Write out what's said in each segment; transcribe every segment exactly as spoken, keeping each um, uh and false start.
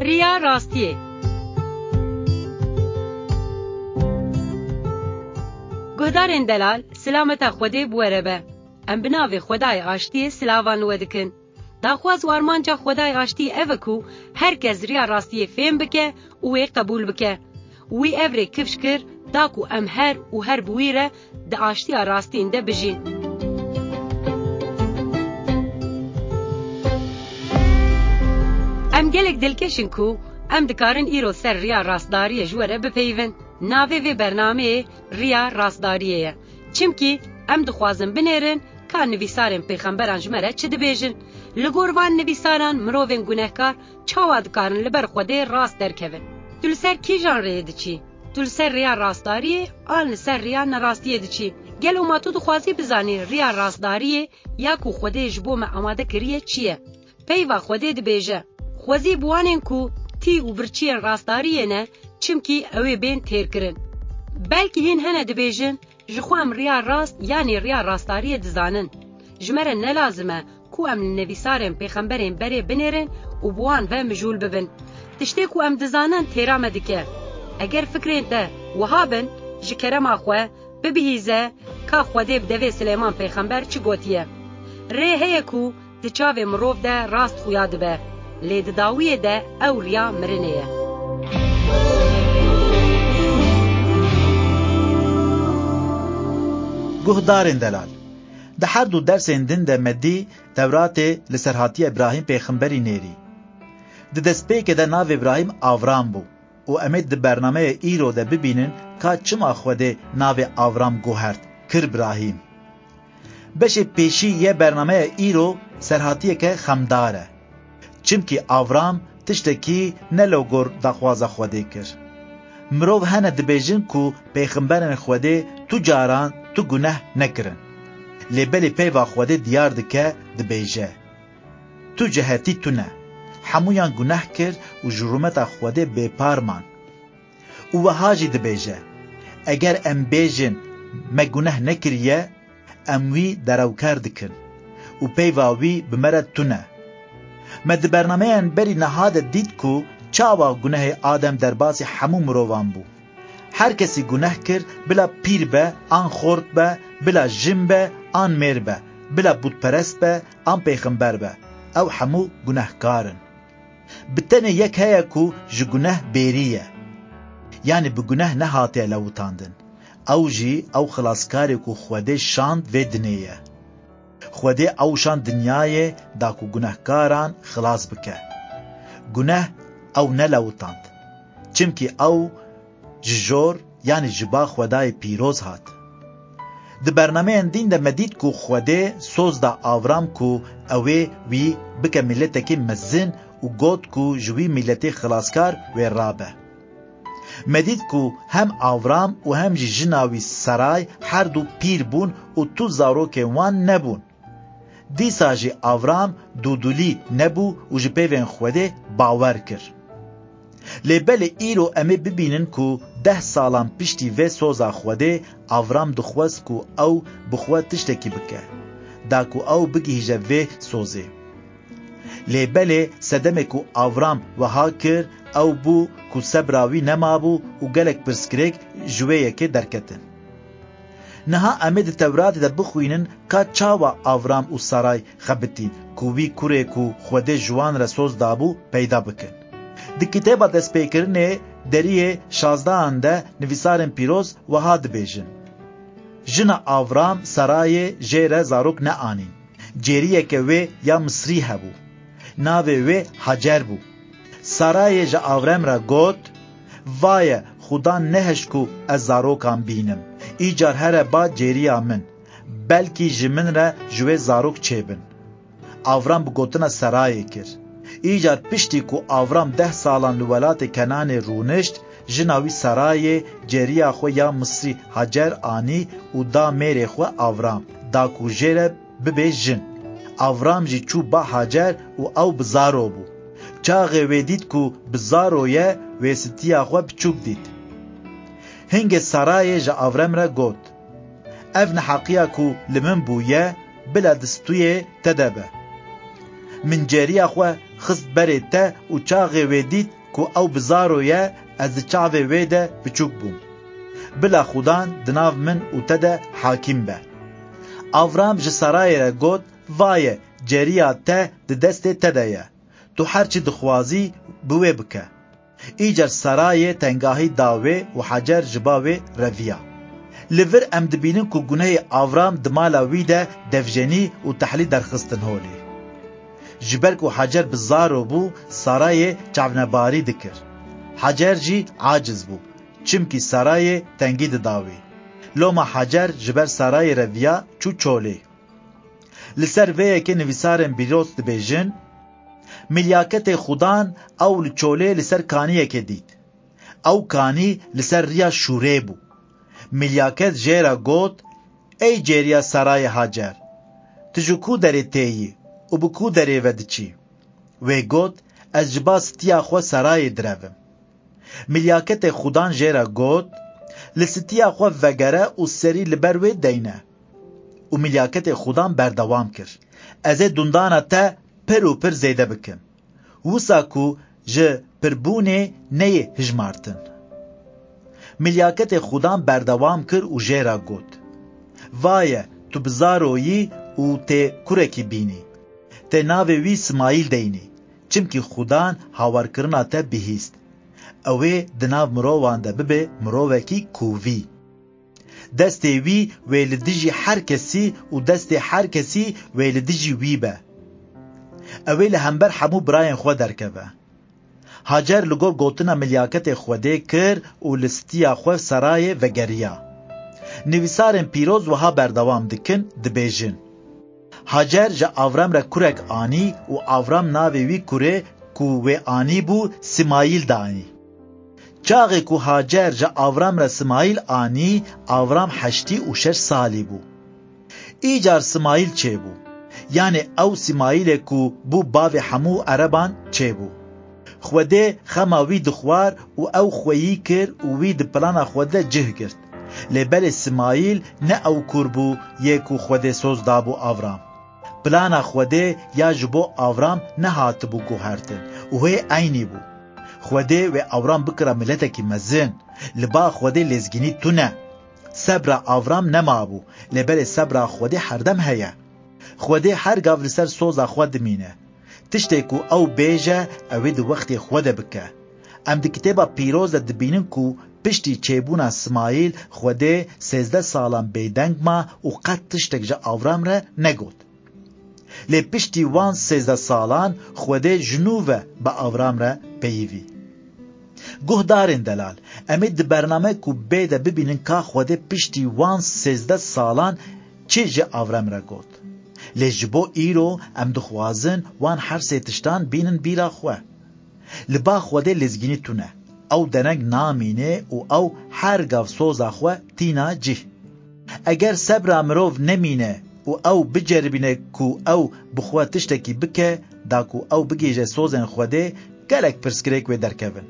Riya rastiyê. Guhdarên delal, silameta Xwedê bi we re be. Em bi navê Xwedayê Aştiyê silavan li we dikin. Daxwaz û armanca Xwedayê Aştiyê ev e ku her kes riya rastiyê fêm bike û wê qebûl bike. Wî ev rê kifş kir, da ku em her û her bi wî re di aştiya rastîn de bijîn. Em gelek dilkeş in ku em dikarin îro ser riya rastdariyê ji we re bipeyivin. Navê vê bernameyê Riya Rastdariyê ye. Çimkî em dixwazin binêrin ka nivîsarên pêxemberan ji me re çi dibêjin. Li gor van nivîsaran mirovên gunehkar çawa dikarin li ber Xwedê rast derkevin? Tu li ser kîjan rêyê diçî? Tu li ser rêya rastdariyê an li ser rêya nerastiyê diçî? Gelo ma tu dixwazî bizanî rêya rastdariyê ya ku Xwedê ji bo me amade kiriye çi ye? Peyva Xwedê dibêje, Xwezî bi wanên ku tî û birçiyên rastdariyê ne, çimkî ew ê bên têrkirin. Belkî hîn hene dibêjin, Ji xwe em riya rast yanî riya rastdariyê dizanin. Ji me re ne lazim e ku em li nivîsarên pêxemberên berê binêrin û bi wan ve mijûl bibin. Tiştê ku em dizanin têra me dike. Eger fikrên te wiha bin, ji kerema xwe bibihîze ka Xwedê bi devê Silêman pêxember çi gotiye. Rê heye ku di çavê mirov de rast xuya dibe, lê di dawiyê de ew riya mirinê ye. Guhdarên delal, di her du dersên din de me dî Tewratê li ser hatiye Îbrahîm pêxemberî nêrî. Di destpêkê de navê Îbrahîm Avram bû. Û em ê di bernameyê îro de bibînin ka çima Xwedê navê Avram guhert, kir Brahîm. Beşê pêşî yê bernameya îro serhatiyeke xemdar e. Çimkî Avram tiştekî ne li gor daxwaza Xwedê kir. Mirov hene dibêjin ku pêxemberên Xwedê tu caran tu guneh nekirin. Lê belê peyva Xwedê diyar dike, dibêje, Tu cehetî tune. Hemûyan guneh kir û ji rûmeta Xwedê bêpar man. Û wiha jî dibêje, Eger em bêjin, Me guneh nekiriye, em wî derewker dikin û peyva wî bi me re tune. Me di bernameyên berî niha de dît ku çawa gunehê Adem derbasî hemû mirovan bû. Her kesî guneh kir, bila pîr be an xort be, bila jin be an mêr be, bila bûtperest be an pêxember be, ew hemû gunehkar in. Bi tenê yek heye ku ji guneh bêrî ye. Yanî bi guneh nehatiye lewitandin. Ew jî ew xilaskarê ku Xwedê şand vê dinê ye. Xwedê ew şand dinyayê da ku gunehkaran xilas bike. Guneh ew nelewitand. Çimkî ew ji jor, yanî ji ba Xwedayê pîroz hat. Di bernameyên din de me dît ku Xwedê soz da Avram ku ew ê wî bike mîletekî mezin û got ku ji wî mîletê xilaskar wê rabe. Me dît ku hem Avram û hem jî jina wî Saray her du pîr bûn û tu zarokên wan nebûn. Dîsa jî Avram dûdûlî nebû û ji peyvên Xwedê bawer kir. Lê belê îro em ê bibînin ku deh salan piştî vê soza Xwedê Avram dixwest ku ew bi xwe tiştekî bike, da ku ew bigihîje vê sozê. Lê belê sedemê ku Avram wiha kir, ew bû ku sebra wî nemabû û gelek pirsgirêk ji wê yekê derketin. Niha em ê di Tewratê de bixwînin ka çawa Avram û Saray xebitîn ku wî kurê ku Xwedê ji wan re soz dabû peyda bikin. Di kitêba Destpêkirinê deriyê şazdehan de nivîsarên pîroz wiha dibêjin, Jina Avram Sarayê jê re zarok neanîn. Cêriyeke wê ya Misrî hebû. Navê wê Hacer bû. Sarayê ji Avrem re got, Vaye, Xudan nehişt ku ez zarokan bînim. Îcar here ba cêriya min. Belkî ji min re ji wê zarok çêbin. Avram bi gotina Sarayê kir. Îcar piştî ku Avram deh salan li welatê Kenanê rûnişt, jina wî Sarayê cêriya xwe ya Misrî Hacer anî û da mêrê xwe Avram, da ku jê re bibe jin. Avram jî çû ba Hacer û ew bi zaro bû. Çaxê wê dît ku bi zaro ye, wêsitiya xwe biçûk dît. Hingê Sarayê ji Avrem re got, Ev neheqiya ku li min bûye, bila di stûyê te de be. Min cêriya xwe xist berê te û çaxê wê dît ku ew bi zaro ye, ez di çavê wê de biçûk bûm. Bila Xudan di nav min û te de hakîm be. Avram ji Sarayê re got, Vaye, cêriya te di destê te de ye. Tu her çi dixwazî, bi wê bike. Îcar Sarayê tengahî da wê û Hacer ji ba wê reviya. Li vir em dibînin ku gunehê Avram di mala wî de devjenî û tehlî derxistin holê. Ji ber ku Hacer bi zaro bû, Sarayê çavnebarî dikir. Hacer jî aciz bû, çimkî Sarayê tengî dida wê. Loma Hacer ji ber Sarayê reviya, çû çolê. Li ser vê yekê nivîsarên pîroz dibêjin, Milyaketê Xudan ew li çolê li ser kaniyekê dît. Ew kanî li ser riya şûrê bû. Milyaket jê re got, Ey cêriya Sarayê Hacer, tu ji ku derê têyî û bi ku derê ve diçî? Wê got, Ez ji ba stiya xwe Sarayê direvim. Milyaketê Xudan jê re got, Li stiya xwe vegere û serî li ber wê deyne. Û milyaketê Xudan berdewam kir, Ez ê dundana te pir û pir zêde bikim, wisa ku ji pirbûnê neyê hijmartin. Milyaketê Xudan berdewam kir û jê re got, Vaye, tu bi zaro yî û tê kurekî bînî. Tê navê wî Simayîl deynî, çimkî Xudan hawarkirina te bihîst. Ew ê di nav mirovan de bibe mirovekî kûvî. Destê wî wê li dijî her kesî û destê her kesî wê li dijî wî be. Ew ê li hember hemû birayên xwe derkeve. Hacer li gor gotina milyaketê Xwedê kir û li stiya xwe Serayê vegeriya. Nivîsarên pîroz wiha berdewam dikin, dibêjin, Hacer ji Avram re kurek anî û Avram navê wî kurê ku wê anîbû Simayîl danî. Çaxê ku Hacer ji Avram re Simayîl anî, Avram heştî û şeş salî bû. Îcar Simayîl çêbû. Yanê ew Simayîlê ku bû bavê hemû ereban çêbû. Xwedê xema wî dixwar û ew xweyî kir û wî di plana Xwedê cih girt. Lê belê Simayîl ne ew kur bû yê ku Xwedê soz dabû Avram. Plana Xwedê ya ji bo Avram nehatibû guhertin û hê eynî bû. Xwedê wê Avram bikira miletekî mezin. Li ba Xwedê lêzgînî tune. Sebra Avram nemabû, lê belê sebra Xwedê herdem heye. Xwedê her gav li ser soza xwe dimîne. Tiştê ku ew bêje, ew ê di wextê xwe de bike. Em di Kitêba Pîroz de dibînin ku piştî çêbûna Simayîl, Xwedê sêzdeh salan bêdeng ma û qet tiştek ji Avram re negot. Lê piştî wan sêzdeh salan Xwedê ji nû ve bi Avram re peyivî. Guhdarên delal, em ê di bername ku bê de bibînin ka Xwedê piştî wan sêzdeh salan çi ji Avram re got. Lê ji bo îro em dixwazin wan her sê tiştan bînin bîra xwe. Li ba Xwedê lêzgînî tune. Ew dereng namîne û ew her gav soza xwe tîna cih. Eger sebra mirov nemîne û ew biceribîne ku ew bi xwe tiştekî bike, da ku ew bigihîje sozên Xwedê, gelek pirsgirêk wê derkevin.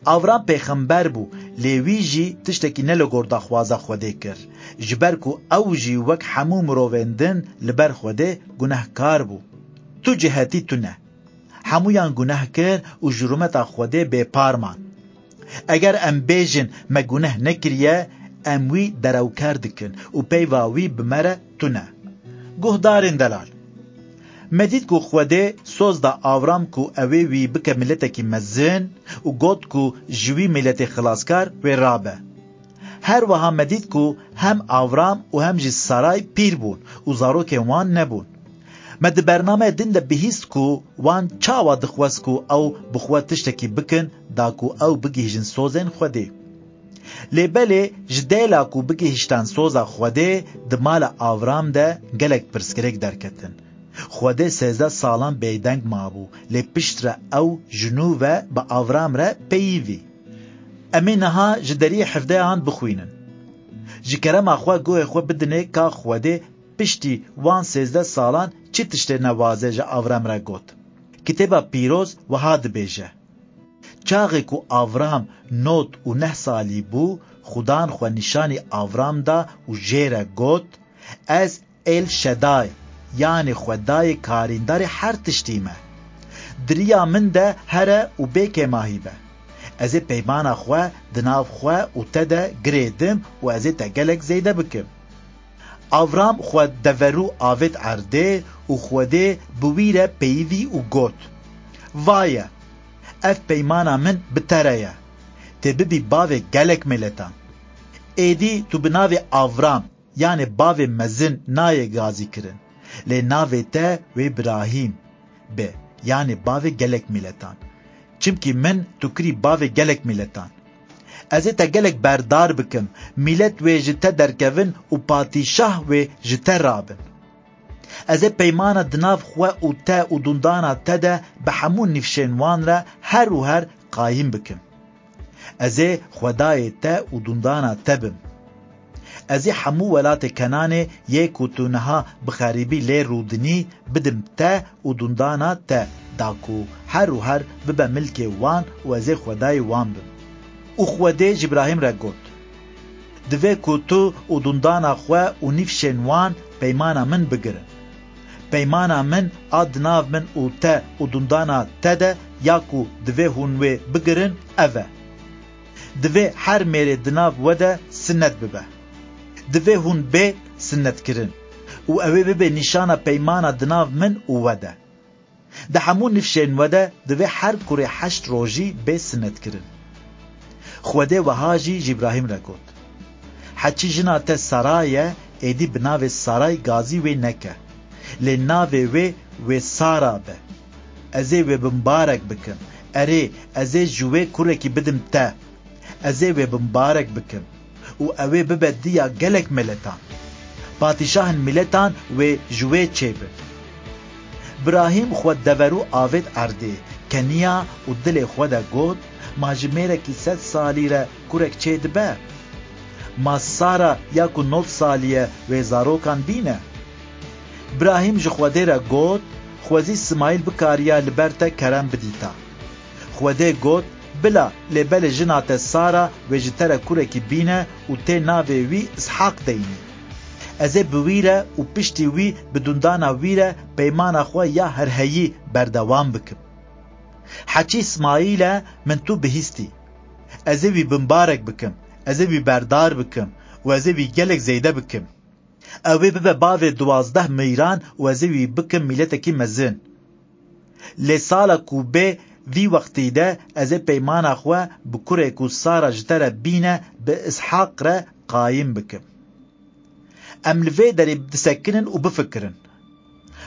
Avram pêxember bû, lê wî jî tiştekî ne li gor daxwaza Xwedê kir, ji ber ku ew jî wek hemû mirovên din li ber Xwedê gunehkar bû. Tu cihetî tune. Hemûyan guneh kir û ji rûmeta Xwedê bêpar man. Eger em bêjin, me guneh nekiriye, em wî derewker dikin û peyva wî bi me re tune. Guhdarên delal. Me dît ku Xwedê soz da Avram ku ew ê wî bike miletekî mezin û got ku ji wî miletê xilaskar wê rabe. Her wiha me dît ku hem Avram û hem jî Saray pîr bûn û zarokên wan nebûn. Me di bernameya din de bihîst ku wan çawa dixwest ku ew bi xwe tiştekî bikin, da ku ew bigihîjin sozên Xwedê. Lê belê ji dêla ku bigihîştan soza Xwedê, di mala Avram de gelek pirsgirêk derketin. Xwedê sêzdeh salan bêdeng mabû, lê piştre ew ji nû ve bi Avram re peyivî. Em ê niha ji deriyê hevdehan bixwînin. Ji kerema xwe guhê xwe bidinê ka Xwedê piştî wan sêzdeh salan çi tiştê newaze ji Avram re got. Kitêba Pîroz wiha dibêje, Çaxê ku Avram nod û neh salî bû, Xudan xwe nîşanî Avram da û jê re got, Ez El Şeday, yanê Xwedayê karîndarê her tiştî me. Di riya min de here û bê kêmahî be. Ez ê peymana xwe di nav xwe û te de girêdim û ez ê te gelek zêde bikim. Avram xwe deverû avêt erdê û Xwedê bi wî re peyivî û got, Vaye, ev peymana min bi te re ye. Tê bibî bavê gelek miletan. Êdî tu bi navê Avram, yanê bavê mezin nayê gazîkirin. Lê navê te wê Birahîm be, yanê bavê gelek miletan. Çimkî min tu kirî bavê gelek miletan. Ez ê te gelek berdar bikim, milet wê ji te derkevin û padîşah wê ji te rabin. Ez ê peymana di nav xwe û te û dundana te de bi hemû nifşên wan re her û her qayîm bikim. Ez ê Xwedayê te û dundana te bim. Ez ê hemû welatê Kenanê yê ku tu niha bi xerîbî lê rûdinî bidim te û dundana te, da ku her û her bibe milkê wan û ez ê Xwedayê wan bim. Û Xwedê ji Îbrahîm re got, Divê ku tu û dundana xwe û nîfşên wan peymana min bigirin. Peymana min a di nav min û te û dundana te de ya ku divê hûn wê bigirin ev e. Divê her mêrê di nav we de sinet bibe. Divê hûn bê sinetkirin û ew ê bibe nîşana peymana di nav min û we de. Di hemû nifşên we de divê her kurê heşt rojî bê sinetkirin. Xwedê wiha jî ji Îbrahîm re got, Heçî jina te Saray e, êdî bi navê Saray gazî wê neke. Lê navê wê wê Sara be. Ez ê wê bimbarek bikim. Erê, ez ê ji wê kurekî bidim te. Ez ê wê bimbarek bikim û ew ê bibe diya gelek miletan. Padîşahên miletan wê ji wê çêbin. Birahîm xwe deverû avêt erdê, keniya û dilê xwe de got, Ma ji mêrekî sed salî re kurek çêdibe? Ma Sara ya ku nod salî ye wê zarokan bîne? Birahîm ji Xwedê re got, Xwezî Smaîl bikariya li ber te kerem bidîta. Xwedê got, Bila, lê belê jina te Sara wê ji te re kurekî bîne û tê navê wî Îshaq deynî. Ez ê bi wî re û piştî wî bi dundana wî re peymana xwe ya herheyî berdewam bikim. Heçî Îsmaîl e, min tu bihîstî. Ez ê wî bimbarek bikim, ez ê wî berdar bikim û ez ê wî gelek zêde bikim. Ew ê bibe bavê duwazdeh meyran û ez ê wî bikim mîletekî mezin. Lê sala ku bê vî wextî de ez ê peymana xwe bi kurê ku Sara ji te re bîne bi Îshaq re qayîm bikim. Em li vê derê disekinin û bifikirin.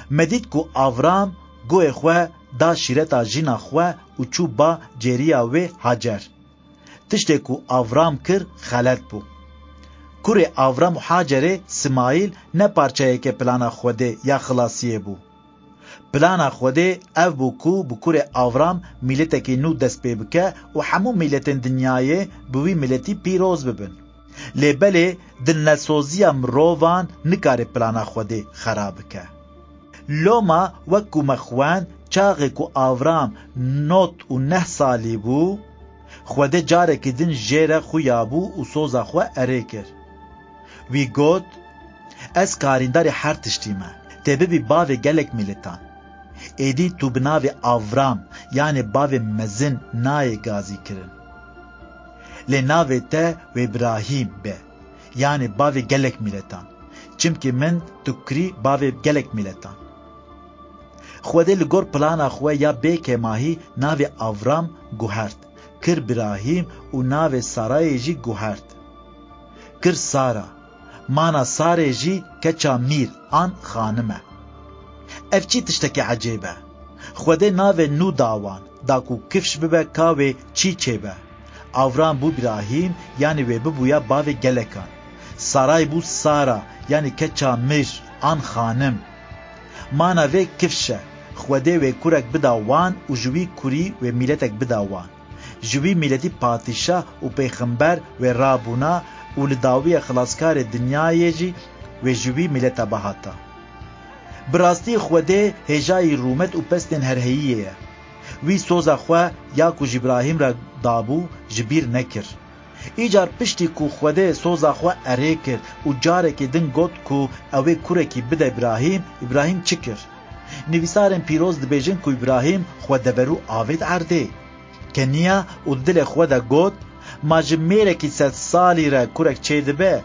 Me dît ku Avram guhê xwe da şîreta jina xwe û çû ba cêriya wê Hacer. Tiştê ku Avram kir xelet bû. Kurê Avram û Hacerê Simayîl ne parçeyeke plana Xwedê ya xilasiyê bû. Plana Xwedê ev bû ku bi kurê Avram mîletekî nû dest pê bike û hemû mîletên dinyayê bi wî mîletî pîroz bibin. Lê belê dilnesoziya mirovan nikare plana Xwedê xera bike. Loma wek ku me xwend, çaxê ku Avram nod û neh salî bû, Xwedê carekî din jê re xuya bû û soza xwe erê kir. Wî got, Ez karîndarê her tiştî me. Tê bibî bavê gelek mîletan. Êdî tu bi navê Avram, yanê bavê mezin nayê gazî kirin. Lê navê te wê Birahîm be, yanê bavê gelek mîletan. Çimkî min tu kirî bavê gelek mîletan. Xwedê li gor plana xwe ya bê kêmahî navê Avram guhert, kir Birahîm û navê Sarayê jî guhert, kir Sara. Mana Sarê jî keça mîr an xanim e. Ev çi tiştekî ecêb e? Xwedê navê nû da wan, da ku kifş bibe ka wê çî çêbe. Avram bû Birahîm, yanî wê bibûya bavê gelekan. Saray bû Sara, yanî keça mîr an xanim. Mana vê kifş e, Xwedê wê kurek bida wan û ji wî kurî wê mîletek bida wan. Ji wî mîletî padîşah û pêxember wê rabûna û li dawiya xilaskarê dinyayê jî wê ji wî mîleta bihata. Bi rastî Xwedê hêjayî rûmet û pestên herheyiyê ye. Wî soza xwe ya ku ji Îbrahîm re dabû ji bîr nekir. Îcar piştî ku Xwedê soza xwe erê kir û carekî din got ku ew ê kurekî bide Îbrahîm, Îbrahîm çi kir? Nivîsarên pîroz dibêjin ku Îbrahîm xwe deverû avêt erdê. Keniya û di dilê xwe de got, "Ma ji mêrekî sed salî re kurek çêdibe?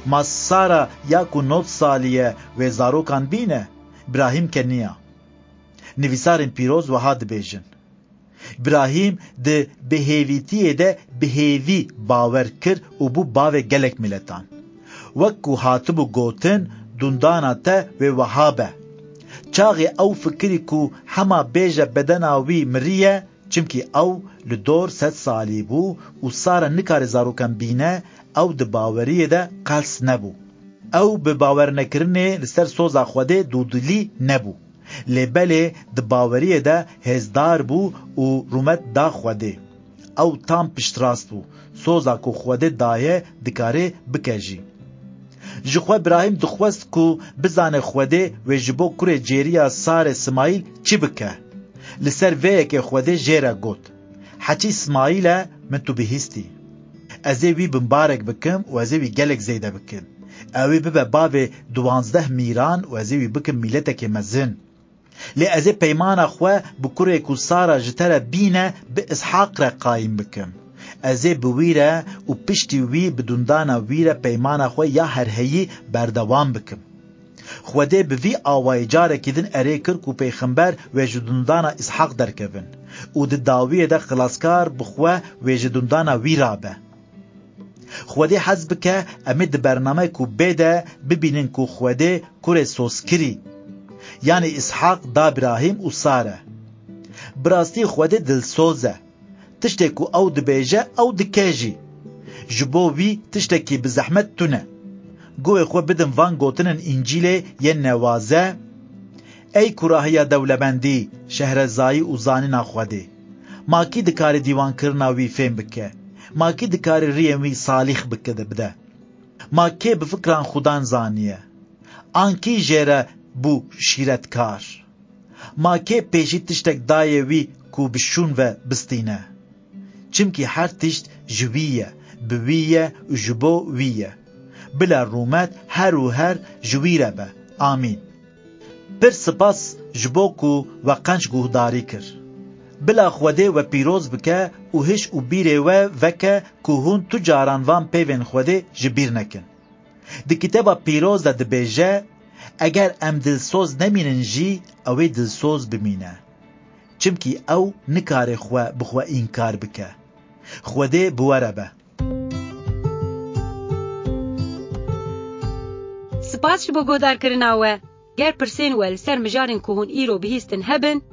Ma Sara ya ku nod salî ye wê zarokan bîne?" Îbrahîm keniya. Nivîsarên pîroz wiha dibêjin, Îbrahîm di bihêvîtiyê de bi hêvî bawer kir û bû bavê gelek miletan. Wek ku hatibû gotin, dundana te wê wiha be. Çaxê ew fikirî ku hema bêje bedena wî miriye, çimkî ew li dor sed salî bû û Sara nikare zarokan bîne, ew di baweriyê de qels nebû. Ew bi bawernekirinê li ser soza Xwedê dûdilî nebû. Lê belê di baweriyê de hêzdar bû û rûmet da Xwedê. Ew tam piştrast bû. Soza ku Xwedê daye dikare bike jî. Ji xwe Birahîm dixwest ku bizane Xwedê wê ji bo kurê cêriya Sarê Simayîl çi bike. Li ser vê yekê Xwedê jê re got, "Heçî Simayîl e, min tu bihîstî. Ez ê wî bimbarek bikim û ez ê wî gelek zêde bikim. Ew ê bibe bavê duwazdeh mîran û ez ê wî bikim mîletekê mezin. Lê ez ê peymana xwe bi kurê ku Sara ji te re bîne bi Îshaq re qayîm bikim. Ez ê bi wî re û piştî wî bi dundana wî re peymana xwe ya herheyî berdewam bikim." Xwedê bi vî awayî carekî din erê kir ku pêxember wê ji dundana Îshaq derkevin û di dawiyê de xilaskar bi xwe wê ji dundana wî rabe. Xwedê hez bike em ê di bernameyê ku bê de bibînin ku Xwedê kurê sozkirî, yanî Îshaq da Birahîm û Sare. Bi rastî Xwedê dilsoz e. Tiştê ku ew dibêje, ew dike jî. Ji bo wî tiştekî bi zehmet tune. Guhê xwe bidin van gotinên Încîlê yên newaze, Ey kurahiya dewlemendî, şehrezayî û zanîna Xwedê. Ma kî dikare dîwankirina wî fêm bike? Ma kî dikare riyên wî salîx bike de bide? Ma kê bi fikran Xudan zaniye? An kî jê re bû şîretkar? Ma kê pêşî tiştek daye wî ku bi şûn ve bistîne? Çimkî her tişt ji wî ye, bi wî ye û ji bo wî ye. Bila rûmet her û her ji wî re be. Amîn. Pir spas ji bo ku we qenc guhdarî kir. Bila Xwedê we pîroz bike û hiş û bîrê we veke ku hûn tu caran van peyvên Xwedê ji bîr nekin. Di Kitêba Pîroz de dibêje, Eger em dilsoz nemînin jî, ew ê dilsoz bimîne. Çimkî ew nikare xwe bi xwe înkar bike. Xwedê bi we re be. Spas ji bo guhdarkirina we. Ger pirsên we li ser mijarên ku hûn îro bihîstin hebin,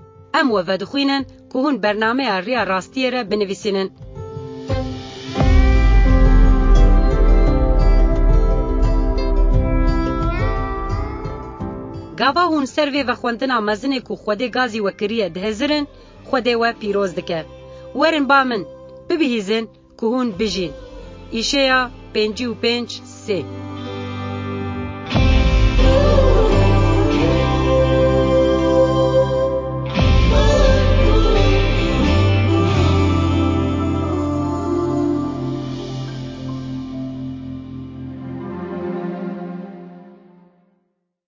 em we vedixwînin ku hûn bernameya Riya Rastiyê re binivîsînin. Gava hûn ser vê vexwendina mezinê ku Xwedê gazî we kiriye dihizirin, Xwedê we pîroz dike. Werin ba min, bibihîzin ku hûn bijîn. Îşeya pêncî û pênc sê.